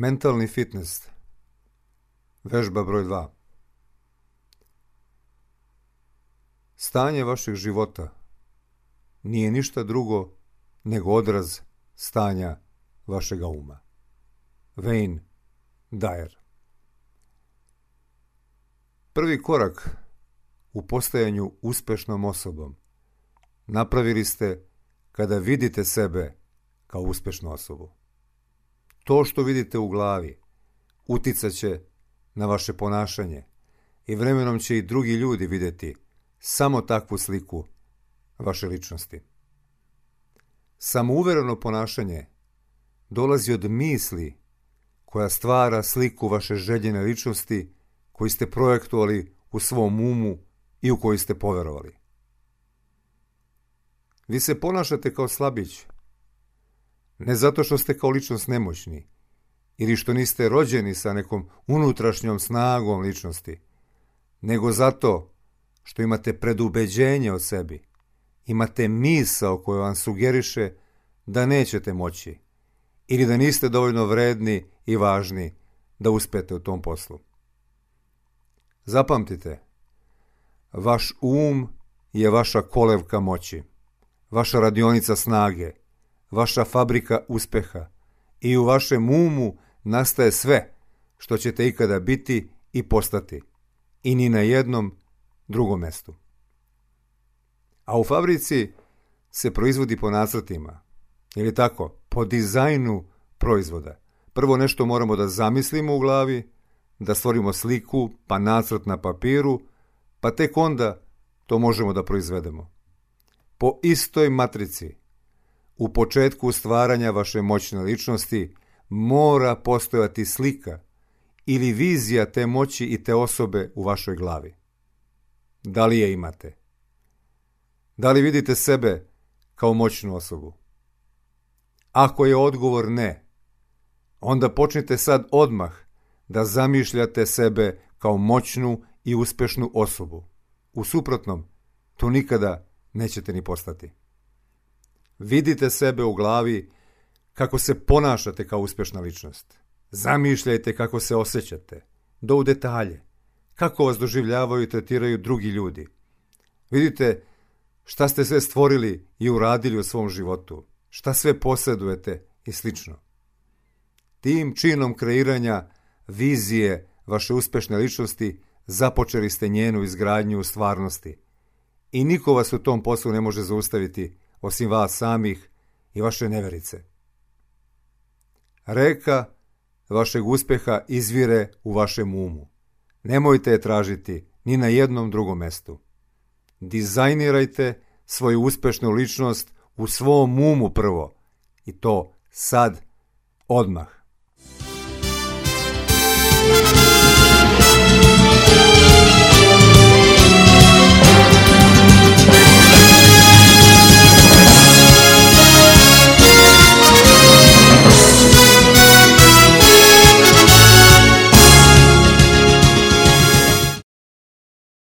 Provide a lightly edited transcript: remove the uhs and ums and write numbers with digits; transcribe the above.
Mentalni fitness. Vežba broj 2. Stanje vašeg života nije ništa drugo nego odraz stanja vašega uma. Wayne Dyer. Prvi korak u postajanju uspešnom osobom napravili ste kada vidite sebe kao uspešnu osobu. To što vidite u glavi uticat će na vaše ponašanje i vremenom će i drugi ljudi vidjeti samo takvu sliku vaše ličnosti. Samouvereno ponašanje dolazi od misli koja stvara sliku vaše željene ličnosti koju ste projektovali u svom umu i u koju ste poverovali. Vi se ponašate kao slabić, ne zato što ste kao ličnost nemoćni ili što niste rođeni sa nekom unutrašnjom snagom ličnosti, nego zato što imate predubeđenje o sebi, imate misao koja vam sugeriše da nećete moći ili da niste dovoljno vredni i važni da uspete u tom poslu. Zapamtite, vaš um je vaša kolevka moći, vaša radionica snage, vaša fabrika uspeha i u vašem umu nastaje sve što ćete ikada biti i postati i ni na jednom drugom mestu. A u fabrici se proizvodi po nacrtima, ili tako, po dizajnu proizvoda. Prvo nešto moramo da zamislimo u glavi, da stvorimo sliku, pa nacrt na papiru, pa tek onda to možemo da proizvedemo. Po istoj matrici, u početku stvaranja vaše moćne ličnosti mora postojati slika ili vizija te moći i te osobe u vašoj glavi. Da li je imate? Da li vidite sebe kao moćnu osobu? Ako je odgovor ne, onda počnite sad odmah da zamišljate sebe kao moćnu i uspešnu osobu. U suprotnom, to nikada nećete ni postati. Vidite sebe u glavi kako se ponašate kao uspešna ličnost. Zamišljajte kako se osjećate, do u detalje, kako vas doživljavaju i tretiraju drugi ljudi. Vidite šta ste sve stvorili i uradili u svom životu, šta sve posjedujete i slično. Tim činom kreiranja vizije vaše uspešne ličnosti započeli ste njenu izgradnju u stvarnosti i niko vas u tom poslu ne može zaustaviti osim vas samih i vaše neverice. Reka vašeg uspeha izvire u vašem umu. Nemojte je tražiti ni na jednom drugom mestu. Dizajnirajte svoju uspešnu ličnost u svom umu prvo i to sad, odmah.